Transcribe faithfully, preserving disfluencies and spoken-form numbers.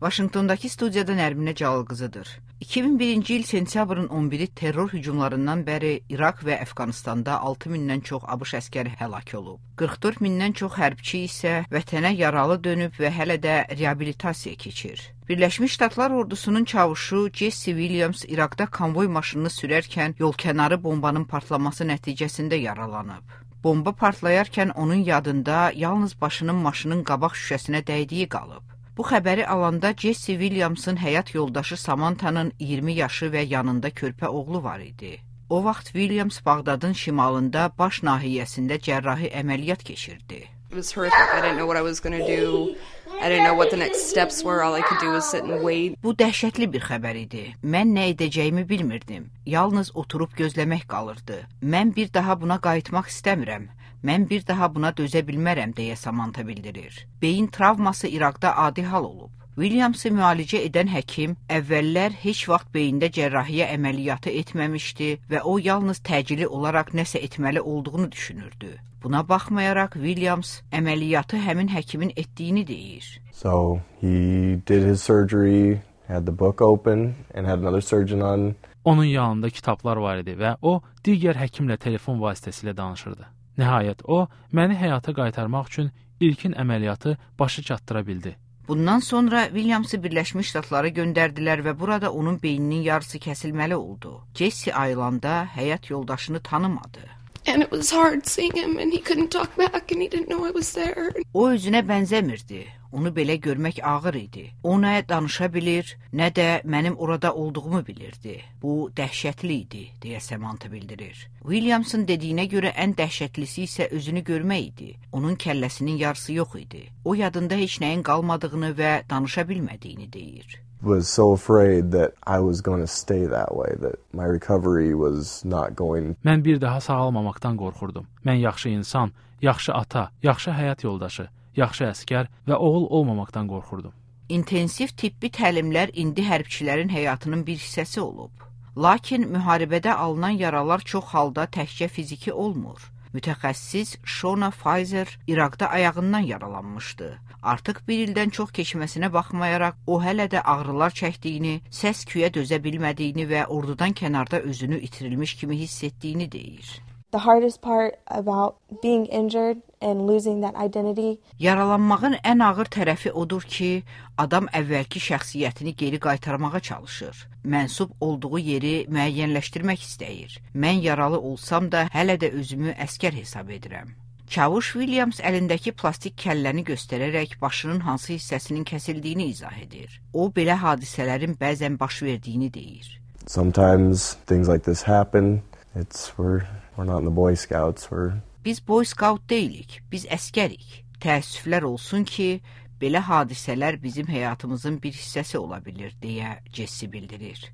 Vaşinqtondakı studiyada Nərminə Cəlal qızıdır. iki min birinci il sentyabrın on biri terror hücumlarından bəri İraq və Əfqanistanda altı mindən çox ABŞ əskəri həlak olub. qırx dörd mindən çox hərbçi isə vətənə yaralı dönüb və hələ də reabilitasiya keçir. Birləşmiş Ştatlar ordusunun çavuşu Jesse Williams İraqda konvoy maşınını sürərkən yolkənarı bombanın partlaması nəticəsində yaralanıb. Bomba partlayarkən onun yadında yalnız başının maşının qabaq şüşəsinə dəydiyi qalıb. Bu xəbəri alanda Jesse Williamsın həyat yoldaşı Samantanın iyirmi yaşı və yanında körpə oğlu var idi. O vaxt Williams Bağdadın şimalında baş nahiyəsində cərrahi əməliyyat keçirdi. It was horrific. I didn't know what I was going to do. I didn't know what the next steps were. All I could do was sit and wait. Bu dəhşətli bir xəbər idi. Mən nə edəcəyimi bilmirdim. Yalnız oturub gözləmək qalırdı. Mən bir daha buna qayıtmaq istəmirəm. Mən bir daha buna dözə bilmərəm, deyə Samantha bildirir. Beyin travması İraqda adi hal olub. Williamsı müalicə edən həkim əvvəllər heç vaxt beyində cərrahiyyə əməliyyatı etməmişdi və o yalnız təcili olaraq nəsə etməli olduğunu düşünürdü. Buna baxmayaraq Williams əməliyyatı həmin həkimin etdiyini deyir. So he did his surgery, had the book open and had another surgeon on. Onun yanında kitablar var idi və o digər həkimlə telefon vasitəsilə danışırdı. Nəhayət o, məni həyata qaytarmaq üçün ilkin əməliyyatı başı çatdıra bildi. Bundan sonra Williamsı Birləşmiş Ştatlara göndərdilər və burada onun beyninin yarısı kəsilməli oldu. Jesse ayılanda həyat yoldaşını tanımadı. And it was hard seeing him and he couldn't talk back and he didn't know I was there. O özünə bənzəmirdi. Onu belə görmək ağır idi. O nə danışa bilir, nə də mənim orada olduğumu bilirdi. Bu dəhşətli idi, deyə Samantha bildirir. Williamsın dediyinə görə ən dəhşətlisi isə özünü görmək idi. Onun kəlləsinin yarısı yox idi. O yadında heç nəyin qalmadığını və danışa bilmədiyini deyir. Was so afraid that I was going to stay that way, that my recovery was not going. Mən bir daha sağalmamaqdan qorxurdum. Mən yaxşı insan, yaxşı ata, yaxşı həyat yoldaşı, yaxşı əskər və oğul olmamaqdan qorxurdum. İntensiv tibbi təlimlər indi hərbçilərin həyatının bir hissəsi olub. Lakin müharibədə alınan yaralar çox halda təkcə fiziki olmur. Mütəxəssis Shona Pfizer İraqda ayağından yaralanmışdı. Artıq bir ildən çox keçməsinə baxmayaraq, o hələ də ağrılar çəkdiyini, səs-küyə dözə bilmədiyini və ordudan kənarda özünü itirilmiş kimi hiss etdiyini deyir. The hardest part about being injured and losing that identity. Yaralanmağın ən ağır tərəfi odur ki, adam əvvəlki şəxsiyyətini geri qaytarmağa çalışır. Mənsub olduğu yeri müəyyənləşdirmək istəyir. Mən yaralı olsam da hələ də özümü əskər hesab edirəm. Çavuş Williams əlindəki plastik kəlləni göstərərək başının hansı hissəsinin kəsildiyini izah edir. O, belə hadisələrin bəzən baş verdiyini deyir. Sometimes things like this happen. It's we're we're not in the Boy Scouts. We're Biz Boy Scout deyilik, biz əskərik. Təəssüflər olsun ki, belə hadisələr bizim həyatımızın bir hissəsi ola bilir, deyə Jesse bildirir.